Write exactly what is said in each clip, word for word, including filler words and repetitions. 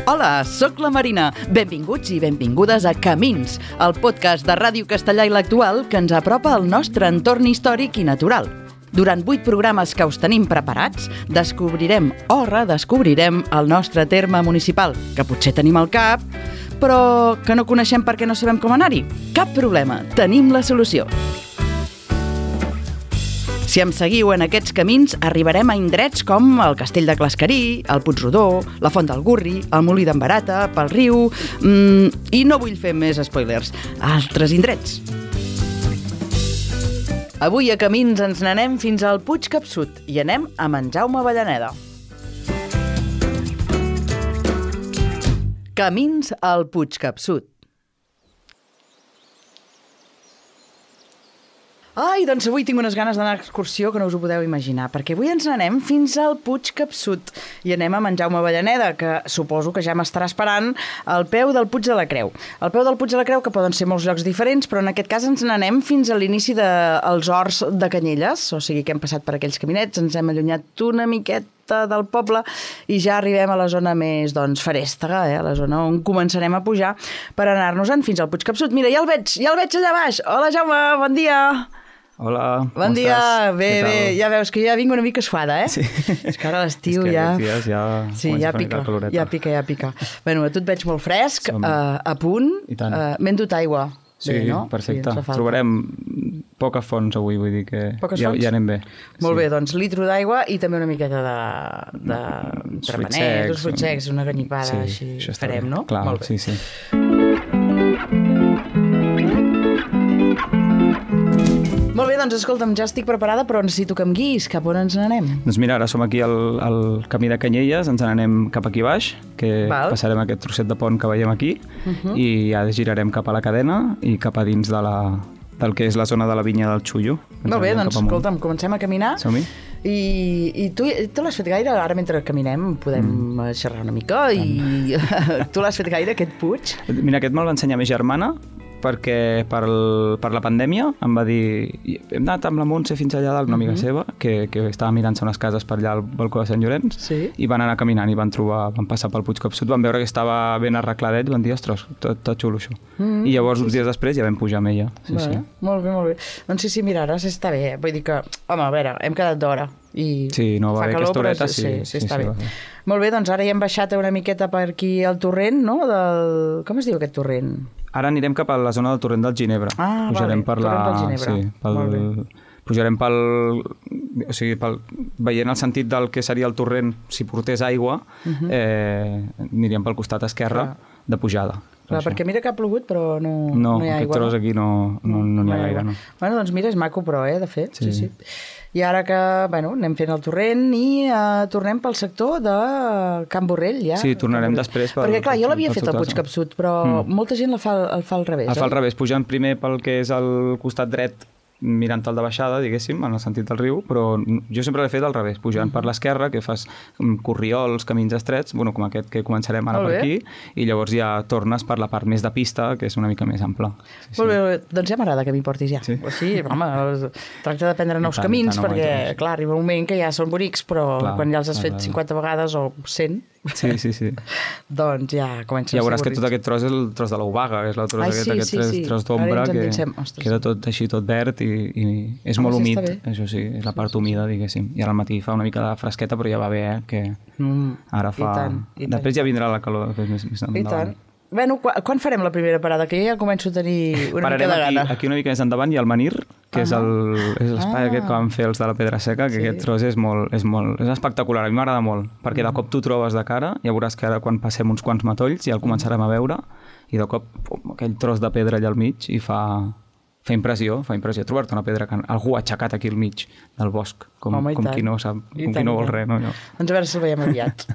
Hola, sóc la Marina. Benvinguts i benvingudes a Camins, el podcast de Ràdio Castellà i l'Actual que ens apropa al nostre entorn històric i natural. Durant vuit programes que us tenim preparats, descobrirem o redescobrirem el nostre terme municipal, que potser tenim al cap, però que no coneixem perquè no sabem com anar-hi. Cap problema, tenim la solució. Si em seguiu en aquests camins, arribarem a indrets com el Castell de Clascarí, el Puigrodó, la Font del Gurri, el Molí d'en Barata, pel riu... Mmm, I no vull fer més spoilers. Altres indrets. Avui a Camins ens n'anem fins al Puig Capsut i anem a en Jaume Avellaneda. Camins al Puig Capsut. Ai, doncs avui tinc unes ganes d'anar a excursió que no us ho podeu imaginar, perquè avui ens n'anem fins al Puig Capsut i anem amb en Jaume Avellaneda, que suposo que ja m'estarà esperant al peu del Puig de la Creu. Al peu del Puig de la Creu, que poden ser molts llocs diferents, però en aquest cas ens n'anem fins a l'inici dels horts de Canyelles, o sigui que hem passat per aquells caminets, ens hem allunyat una miqueta del poble i ja arribem a la zona més, doncs, ferèstega, eh? A la zona on començarem a pujar per anar-nos-en fins al Puig Capsut. Mira, ja el veig, ja el veig allà baix. Hola, Jaume, bon dia. Hola, bon dia, estàs? Bé, bé, ja veus que ja vinc una mica suada, eh? Sí. És que ara l'estiu ja... ja... dies ja... Sí, ja pica, ja pica, ja pica. Bueno, a tu et veig molt fresc, Som... uh, a punt, uh, m'he endut aigua. Sí, bé, no? Perfecte. Sí, trobarem poques fonts avui, vull dir que poques ja, fonts? Ja anem bé. Molt sí. bé, doncs litro d'aigua i també una miqueta de, de tremeners, uns fruits secs, una ganyipada, sí, així farem, bé. No? Clar, molt bé. Sí, sí. Molt bé, doncs escolta'm, ja estic preparada, però necessito que em guiïs. Cap on ens n'anem? Doncs mira, ara som aquí al, al camí de Canyelles, ens n'anem cap aquí baix, que Val. Passarem aquest trosset de pont que veiem aquí, uh-huh. i ja girarem cap a la cadena i cap a dins de la, del que és la zona de la vinya del Xullo. Molt bé, doncs escolta'm, comencem a caminar. Som-hi. I, i tu, tu l'has fet gaire? Ara mentre caminem podem mm. xerrar una mica i tu l'has fet gaire, aquest puig? Mira, aquest me'l va ensenyar ma germana, perquè per, el, per la pandèmia em va dir hem anat amb la Montse fins allà dalt, una amiga uh-huh. seva, que, que estava mirant-se unes cases per allà al balcó de Sant Llorenç, sí. i van anar caminant i van trobar, van passar pel Puig Capsut, van veure que estava ben arregladet i van dir, ostres, tot, tot xulo això. Uh-huh. I llavors, uns dies després, ja vam pujar amb ella. Sí, vale. sí. Molt bé, molt bé. Doncs sí, sí, mira, ara s'està bé. Vull dir que, home, a veure, hem quedat d'hora. I sí, no, va bé aquesta horeta, sí. Sí, sí, sí, està sí, bé. Molt bé, doncs ara ja hem baixat una miqueta per aquí al torrent, no? Del... Com es diu aquest torrent? Ara anirem cap a la zona del torrent del Ginebre. Ah, pujarem vale, per la... torrent del Ginebre. Sí, pel... Pujarem pel... O sigui, pel... veient el sentit del que seria el torrent, si portés aigua, uh-huh. eh, aniríem pel costat esquerre Clar. De pujada. Clar, per perquè mira que ha plogut, però no, no, no hi ha aigua. No, aquest tros aquí no, no, no n'hi ha gaire, no. Bueno, doncs mira, és maco, però, eh, de fet. Sí, sí. sí. I ara que, bueno, anem fent el torrent i uh, tornem pel sector de Can Borrell, ja. Sí, tornarem després pel... Perquè, clar, jo l'havia fet al Puig Capsut, però mm. molta gent el fa, el fa al revés, el fa al revés, pujant primer pel que és el costat dret, mirant el de baixada, diguéssim, en el sentit del riu, però jo sempre l'he fet al revés, pujant mm. per l'esquerra, que fas corriols, camins estrets, bueno, com aquest que començarem ara per aquí, i llavors ja tornes per la part més de pista, que és una mica més ampla. Sí, molt sí. bé, doncs ja m'agrada que m'hi portis ja. Sí, sí home, tracta de prendre nous tant, camins, tant, perquè, no clar, arriba un moment que ja són bonics, però clar, quan ja els has clar, fet clar. cinquanta vegades o cent, sí, sí, sí. doncs ja comença ja a ser veuràs que tot aquest tros és el tros de l'Obaga, és el tros, Ai, aquest, sí, aquest sí, tros, sí. tros d'ombra que queda tot així, tot verd i, i és Home, molt sí, humit, això sí, és la part humida, diguéssim. I ara al matí fa una mica de fresqueta, però ja va bé, eh, que mm, ara fa... I tant, i tant. Després ja vindrà la calor, després més, més endavant. I tant. Bueno, quan, quan farem la primera parada? Que ja començo a tenir una Pararem mica de gana. Aquí, aquí una mica més endavant hi ha el Menir, que uh-huh. és el, és l'espai ah. aquest que van fer els de la Pedra Seca, que sí. aquest tros és molt, és molt és espectacular, a mi m'agrada molt, perquè de cop t'ho trobes de cara, ja veuràs que ara quan passem uns quants matolls ja el començarem a veure, i de cop pum, aquell tros de pedra allà al mig i fa... fa impressió, fa impressió trobar-te una pedra que algú ha aixecat aquí al mig del bosc, com, Home, com qui no sap, com qui no vol res. No, no. Doncs a veure si el veiem aviat.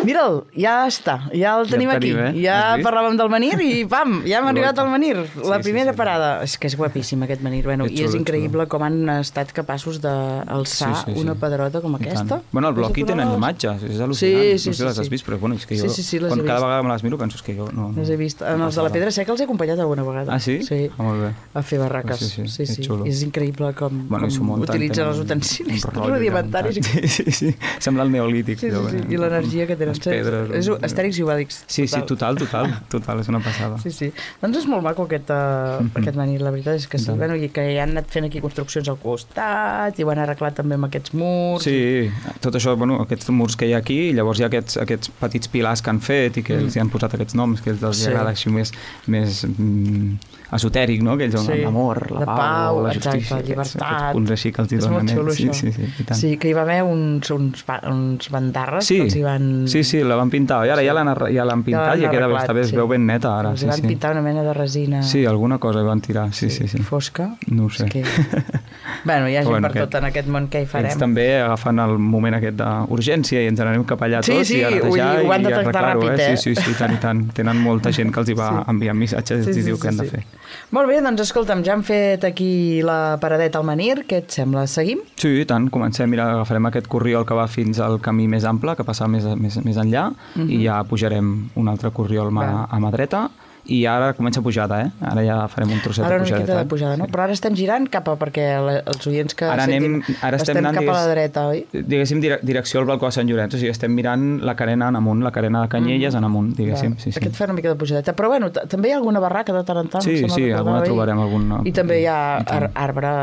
Mira'l, ja està, ja el tenim, ja el tenim aquí. Eh? Ja parlàvem del Menir i pam, ja hem arribat al Menir. La sí, primera sí, sí. parada. És que és guapíssim aquest Menir. Bueno, és I és increïble com han estat capaços d'alçar sí, sí, sí. una pedrota com aquesta. Bueno, al bloc hi tenen imatges, és al·lucinant. Sí, sí, no sé si les has vist, però bueno, és que jo, sí, sí, sí, quan cada vist. vegada me les miro, penso que jo no... Les he vist. En els de la Pedra Seca els he acompanyat alguna vegada. Ah, sí? Sí. Ah, molt bé. A fer barraques. Sí, sí, sí, sí. és xulo. És increïble com, bueno, com utilitzen els utensilis rudimentaris. Sí, sí, sí. Sembla el neolític. Sí, sí, sí. I l'energia que tenen les pedres... És Astèrix i Obèlix. Sí, sí, total, total, total, és una passada. Sí, sí. Doncs és molt maco aquest, uh, mm-hmm. aquest manir, la veritat és que sí. Bueno, i que ja han anat fent aquí construccions al costat i ho han arreglat també amb aquests murs. Sí, tot això, bueno, aquests murs que hi ha aquí, i llavors hi ha aquests, aquests petits pilars que han fet i que mm. els hi han posat aquests noms, que els sí. agrada així més, més mm, esotèric, no? Que ells sí. l'amor, la, la pau, la justícia, exacte, la llibertat. Aquests punts així que els hi donen. És molt xulo, sí, això. Sí, sí, i tant. Sí, que hi va haver uns, uns, uns bandarres sí. que els hi van... Sí, sí, la van pintar, i ara sí. ja l'han ja pintat ja i ja queda bé, està bé, es veu ben neta ara. Els sí, van sí. pintar una mena de resina... Sí, alguna cosa hi van tirar, sí, sí. sí, sí. Fosca. No ho sé. Que... bueno, hi ha gent bueno, per tot en aquest món, què hi farem? Ells també agafen el moment aquest d'urgència i ens n'anem cap allà tots sí, sí, i a netejar ho han i de tractar ràpid, eh? eh? Sí, sí, sí, tant i tant. Tenen molta gent que els hi va sí. enviant missatges sí, sí, i diu sí, què han sí. de fer. Molt bé, doncs escolta'm, ja hem fet aquí la paradeta al Menhir, què et sembla? Seguim? Sí, i tant, comencem, mira, agafarem aquest corriol que va fins al camí més ample, que passa més, més, més enllà, uh-huh. i ja pujarem un altre corriol mà, a mà dreta, i ara comença pujada, eh? Ara ja farem un trosset ara de pujada. Ara una miqueta de pujada, no? Sí. Però ara estem girant cap a, perquè els oients que ara sentim, anem, ara estem, estem anant, cap digues, a la dreta, oi? Diguéssim, direcció al balcó de Sant Llorenç, o sigui, estem mirant la carena en amunt, la carena de Canyelles mm. en amunt, diguéssim. Sí, sí. Aquest fa una mica de pujadeta, però bueno, també hi ha alguna barraca de tant en tant. Sí, sí, alguna trobarem alguna. I també hi ha ar arbre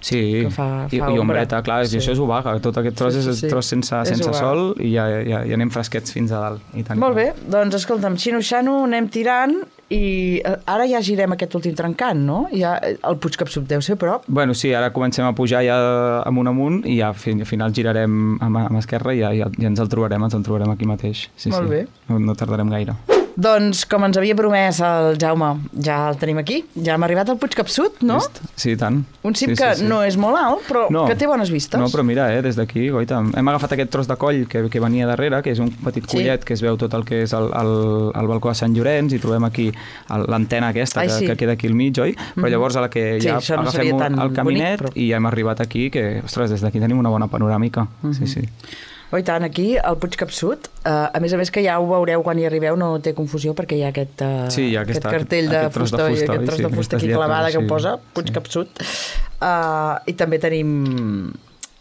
sí. que fa, fa I, i ombreta, clar, sí. i això és obaga, tot aquest tros sí, sí, sí. és tros sense, sense sol i ja, ja, ja anem fresquets fins a dalt. I tant. Molt bé, doncs escolta'm, xino-xano, anem tirant i ara ja girem aquest últim trencant, no? Ja, el Puig Capsut deu ser a prop. Bueno, sí, ara comencem a pujar ja amunt amunt i ja al final girarem a mà esquerra i ja, ja, ja ens el trobarem, ens el trobarem aquí mateix. Sí, Molt sí. bé. No, no tardarem gaire. Doncs, com ens havia promès el Jaume, ja el tenim aquí. Ja hem arribat al Puig Capsut, no? Vist? Sí, tant. Un cim sí, que sí, sí. no és molt alt, però no. que té bones vistes. No, però mira, eh, des d'aquí, goita, hem agafat aquest tros de coll que, que venia darrere, que és un petit collet sí. que es veu tot el que és el, el, el balcó de Sant Llorenç i trobem aquí l'antena aquesta Ai, que, sí. que queda aquí al mig, oi? Però llavors a la que ja sí, no agafem el caminet bonic, però... i ja hem arribat aquí, que, ostres, des d'aquí tenim una bona panoràmica. Uh-huh. Sí, sí. Oh, i tant, aquí, al Puig Capsut, uh, a més a més que ja ho veureu quan hi arribeu, no té confusió perquè hi ha aquest, uh, sí, hi ha aquesta, aquest cartell de aquest fusta, de fusta, i aquest tros sí, de fusta aquí clavada lletres, que sí, posa Puig sí. Capsut. Uh, I també tenim,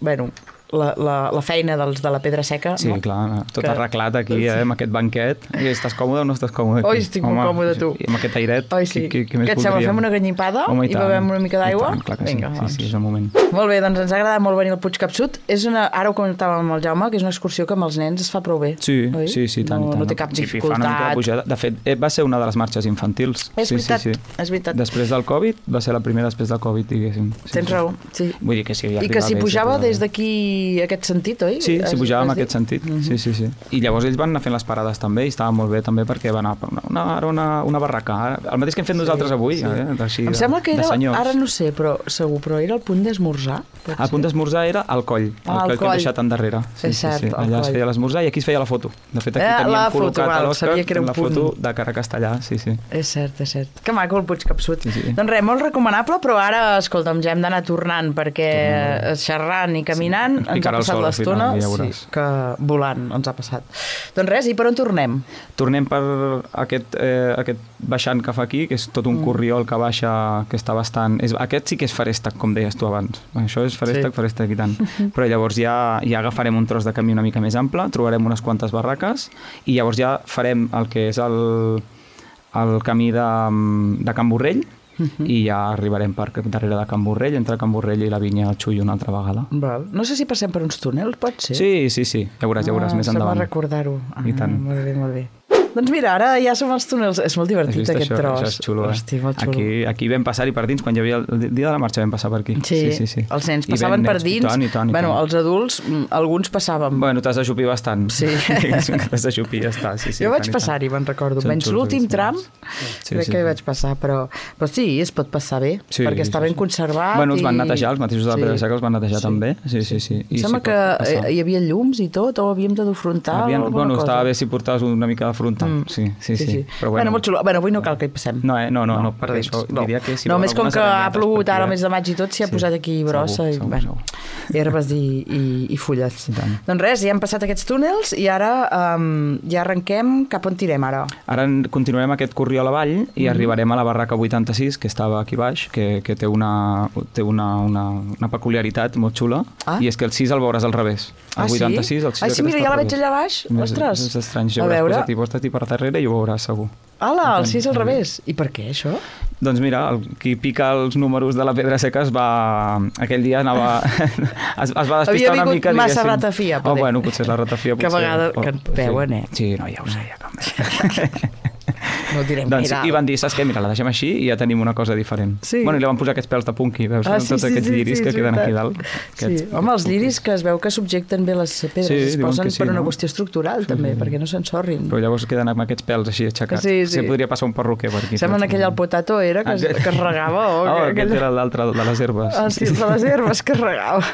bueno, la, la, la feina dels de la Pedra Seca. Sí, no? clar, tot que... arreglat aquí, eh, amb aquest banquet. I estàs còmode o no estàs còmode aquí? Oi, estic molt còmode, tu. I amb aquest airet, Oi, sí. què, què més Què et sembla? voldríem? Fem una ganyipada Home, i, i bevem una mica d'aigua? Clar que Vinga, sí. doncs. sí, sí, és el moment. Molt bé, doncs ens ha agradat molt venir al Puig Capsut. És una, ara ho comentàvem amb el Jaume, que és una excursió que amb els nens es fa prou bé. Sí, oi? sí, sí, tant, no, tant. No té cap sí, dificultat. Fa una mica de pujada. De fet, va ser una de les marxes infantils. És sí, veritat, sí, sí. és veritat. Després del Covid, va ser la primera després del Covid, diguéssim. Sí, Tens sí. raó, sí. Vull dir que sí, ja I que s'hi pujava des d'aquí aquest sentit, oi? Sí, s'hi pujava en aquest sentit, uh-huh. sí, sí, sí. I llavors ells van anar fent les parades també i estava molt bé també perquè van anar per una, una, una, una barraca, el mateix que hem fet sí, nosaltres avui, sí. eh? Així, em sembla que de, era, de ara no sé, però segur, però era el punt d'esmorzar. El punt d'esmorzar era al coll, el ah, coll que hem deixat endarrere. Sí, és cert, sí, sí. Allà es feia l'esmorzar i aquí es feia la foto. De fet, aquí eh, teníem col·locat foto, a l'Òscar la punt. foto de cara castellà, sí, sí. És cert, és cert. Que maco el Puig Capsut. Sí, sí. Doncs res, molt recomanable, però ara, escolta'm, ja hem d'anar tornant perquè Tornem. xerrant i caminant sí. ens ha passat l'estona ja sí, que volant ens ha passat. Doncs res, i per on tornem? Tornem per aquest, eh, aquest baixant que fa aquí, que és tot un mm. corriol que baixa, que està bastant... És, aquest sí que és farèstec, com deies tu abans. Això és farèstec, sí. farèstec i tant. Però llavors ja, ja agafarem un tros de camí una mica més ample, trobarem unes quantes barraques i llavors ja farem el que és el, el camí de, de Can Borrell, Uh-huh. i ja arribarem per darrere de Can Borrell, entre Can Borrell i la vinya al Xull una altra vegada. Val. No sé si passem per uns túnels, pot ser? Sí, sí, sí, ja veuràs, ja veuràs, ah, més endavant. Sembla recordar-ho. Ah, I tant. Molt bé, molt bé. Doncs mira, ara ja som als túnels. És molt divertit aquest això? tros. Això és xulo, eh? Hosti, molt xulo. Aquí, aquí vam passar-hi per dins, quan hi havia el dia de la marxa vam passar per aquí. Sí, sí, sí. sí. Els nens passaven per dins. I tant, i tant, i bueno, tant. Els adults, alguns passàvem. Bueno, t'has d'ajupir bastant. Sí. T'has d'ajupir, ja està. Sí, sí, jo vaig passar-hi, me'n recordo. Menys l'últim tram, sí, crec sí, que hi vaig passar, però, però sí, es pot passar bé, sí, perquè està ben sí. conservat. Bueno, els van i... netejar, els mateixos de la sí. Pedra Seca els van netejar sí. també. Sí, sí, sí. I em sembla sí, que hi havia llums i tot, o havíem de dur frontal Havien, o alguna bueno, cosa. Estava bé si portaves una mica de frontal. Mm. Sí, sí, sí. sí. sí. Però bueno, bueno, molt xulo. Bueno, avui no cal que hi passem. No, eh? no, no, no, no per dins, això no. diria que si no, més com que ha plogut ara al mes de maig i tot, s'hi ha sí. posat aquí brossa segur, i, segur, bueno, segur. herbes i, i, i fulles. I doncs res, ja hem passat aquests túnels i ara um, ja arrenquem. Cap on tirem ara? Ara continuarem aquest corriol avall i mm-hmm. arribarem a la barraca vuitanta-sis, que estava aquí baix, que, que té, una, té una, una, una peculiaritat molt xula, ah? i és que el sis el veuràs al revés. El vuitanta-sis, el sis... Ah, sí, mira, ja la veig allà baix. Ostres. És estrany, ja hauràs posat i posa't per darrere i ho veuràs segur. Ala, el sis al revés. I per què, això? Doncs mira, el, qui pica els números de la Pedra Seca es va... Aquell dia anava... es, es va despistar una mica, diguéssim. Havia vingut massa ratafia, poder. Oh, bueno, potser la ratafia... Que a vegades que et veuen, eh? Sí, no, ja ho sé, ja com... No ho direm doncs, gaire. I van dir, saps què? Mira, la deixem així i ja tenim una cosa diferent. Sí. Bueno, i li van posar aquests pèls de punky, veus? Ah, sí, tots sí, aquests sí, lliris sí, que sí, queden sí. aquí dalt. Sí. Home, els lliris que es veu que subjecten bé les pedres, sí, es posen sí, per una no? qüestió estructural, sí, també, sí. perquè no s'ensorrin. Però llavors queden amb aquests pèls així aixecats. Sí, sí. Sí, podria passar un perruquer per aquí. Sembla aquell al potato era que, es, que es regava. O oh, que, aquest era l'altre de les herbes. Ah, sí, de les herbes que es regava.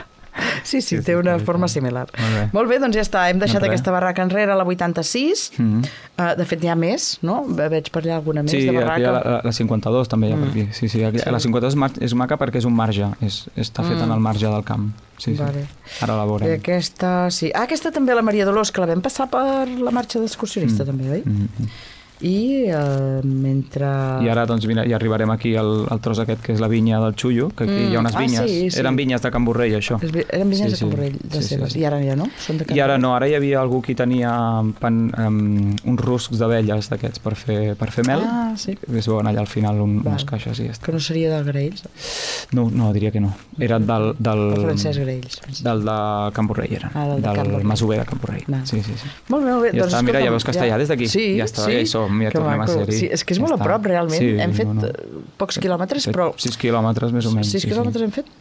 Sí, sí, sí, té una sí, forma similar. Molt bé. Molt bé, doncs ja està. Hem deixat no, aquesta barraca enrere, la vuitanta-sis. Mm. Uh, de fet, hi ha més, no? Veig per allà alguna més sí, de barraca. Sí, la, la cinquanta-dos també hi ha mm. per aquí. Sí, sí, aquí, sí. La cinquanta-dos és maca perquè és un marge. És, està feta mm. en el marge del camp. Sí, vale. Sí. Ara la veurem. I aquesta, sí. Ah, aquesta també, la Maria Dolors, que la vam passar per la marxa d'excursionista, mm. també, oi? Mm. I uh, mentre... I ara, doncs, mira, ja arribarem aquí al, al tros aquest, que és la vinya del Xullo, que aquí mm. hi ha unes vinyes. Ah, sí, sí. Eren vinyes de Can Borrell, això. Eren vinyes sí, de Can Borrell, de sí, seves. Sí, sí. I ara ja no? Són de Can I ara no, ara hi havia algú que tenia pan, um, uns ruscs d'abelles d'aquests per fer, per fer mel. Ah, sí. Es veuen allà al final un, unes caixes i ja està. Que no seria del Graells? No, no, diria que no. Era del... del el Francesc Graells. Del de Can Borrell, era. Ah, del, del, del del masover de Can Borrell. No. Sí, sí, sí. Molt bé, molt bé. Ja doncs, està, mira, ja veus que està allà des d'aquí. Sí, ja està, sí. Ja hi som, ja tornem a ser. Sí, és que és ja molt està. A prop, realment. Sí, hem fet no, no. pocs quilòmetres, però... sis quilòmetres, més o menys. sis sí, quilòmetres sí. hem fet?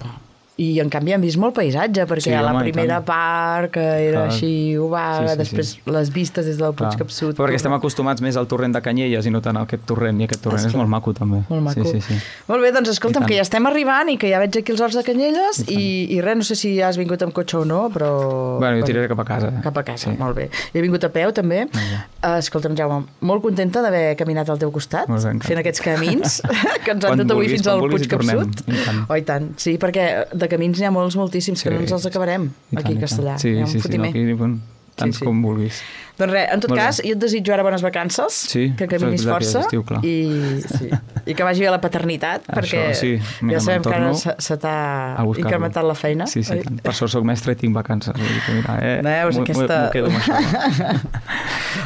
I, en canvi, hem vist molt paisatge, perquè sí, a la home, primera part, que era clar. Així ovaga, sí, sí, després sí. Les vistes des del Puig Capçut... Però perquè estem acostumats més al torrent de Canyelles i no tant a aquest torrent, i aquest torrent Esclar. És molt maco, també. Molt maco. Sí, sí, sí. Molt bé, doncs escolta'm, que ja estem arribant i que ja veig aquí els horts de Canyelles i, i, i res, no sé si ja has vingut amb cotxe o no, però... Bueno, jo tiraré cap a casa. Cap a casa, sí. Molt bé. He vingut a peu, també. Uh, escolta'm, Jaume, molt contenta d'haver caminat al teu costat, bé, fent aquests camins que ens han dut avui fins al Puig Capçut. Oh, i tant. Sí, perquè de camins n'hi ha molts, moltíssims, que sí, no ens els acabarem tant, aquí a Castellà. Sí, sí, sí, no, aquí, bueno, tants sí, sí. com vulguis. Doncs res, en tot Molt cas, bé. Jo et desitjo ara bones vacances, sí, que caminis força estiu, i, sí, i que vagi bé la paternitat, Això, perquè sí, mira, ja sabem que ara se, se t'ha incrementat la feina. Sí, sí, tant. Per sort soc mestre i tinc vacances. Vull dir que mira, eh, Neus, aquesta... m'ho quedo amb això.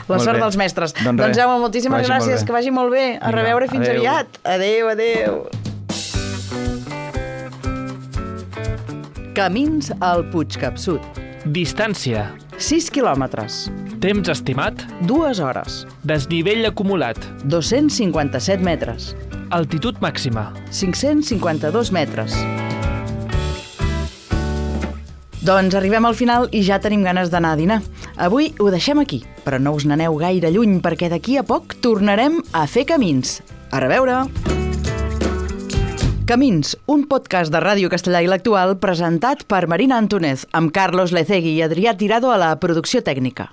La sort dels mestres. Doncs, doncs Jaume, moltíssimes gràcies, que vagi molt bé. A reveure fins adeu. aviat. Adéu, adéu. Camins al Puig Capçut. Distància. sis quilòmetres. Temps estimat. dues hores. Desnivell acumulat. dos-cents cinquanta-set metres. Altitud màxima. cinc-cents cinquanta-dos metres. Doncs arribem al final i ja tenim ganes d'anar a dinar. Avui ho deixem aquí, però no us n'aneu gaire lluny perquè d'aquí a poc tornarem a fer camins. A reveure! Camins, un podcast de Ràdio Castellà i l'Actual presentat per Marina Antúnez, amb Carlos Lecegui i Adrià Tirado a la producció tècnica.